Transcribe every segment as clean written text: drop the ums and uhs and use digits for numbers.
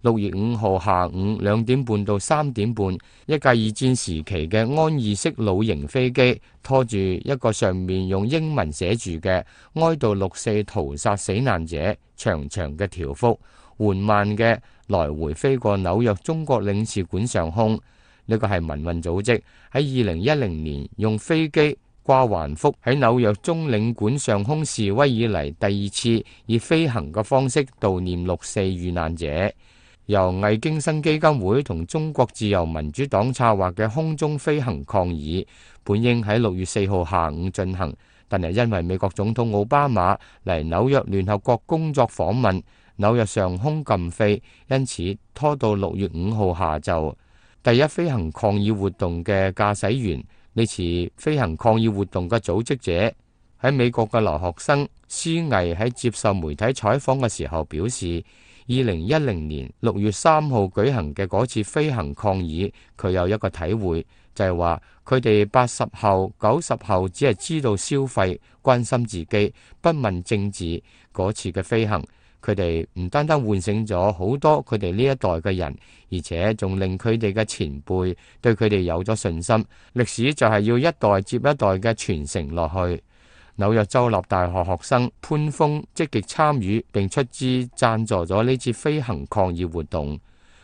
6月5號下午2點半到3點半，一架二戰時期嘅安二式老型飛機拖住一個上面用英文寫住嘅哀悼6·4屠殺死難者長長嘅條幅，緩慢嘅來回飛過紐約中國領事館上空。呢個係民運組織喺2010年用飛機掛橫幅喺紐約中領館上空示威以嚟第二次以飛行嘅方式悼念6·4遇難者。由魏京生基金會同中國自由民主黨策劃嘅空中飛行抗議，本應喺6月4號下午進行，但係因為美國總統奧巴馬嚟紐約聯合國工作訪問，紐約上空禁飛，因此拖到6月5號下晝。第一飛行抗議活動嘅駕駛員，呢次飛行抗議活動嘅組織者喺美國嘅留學生施毅喺接受媒體採訪嘅時候表示，2010年6月3號舉行嘅嗰次飛行抗議，佢有一個體會，就係話佢哋80後、90後只係知道消費、關心自己，不問政治。嗰次嘅飛行，佢哋唔單單喚醒咗好多佢哋呢一代嘅人，而且仲令佢哋嘅前輩對佢哋有咗信心。歷史就係要一代接一代嘅傳承落去。紐約州立大學學生潘峰積極參與並出資贊助咗呢次飛行抗議活動。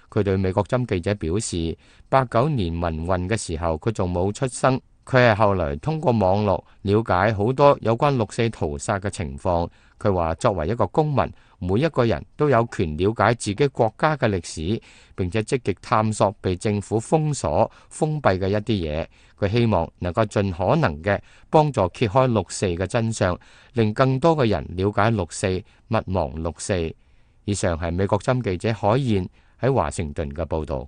佢對美國針記者表示，89年民運嘅時候佢仲冇出生，佢係後來通過網絡了解好多有關6·4屠殺嘅情況。佢話作為一個公民，每一個人都有權了解自己國家嘅歷史，並且積極探索被政府封鎖、封閉嘅一啲嘢。佢希望能夠盡可能嘅幫助揭開6·4嘅真相，令更多嘅人了解6·4，勿忘6·4。以上係美國針記者海燕喺華盛頓嘅報導。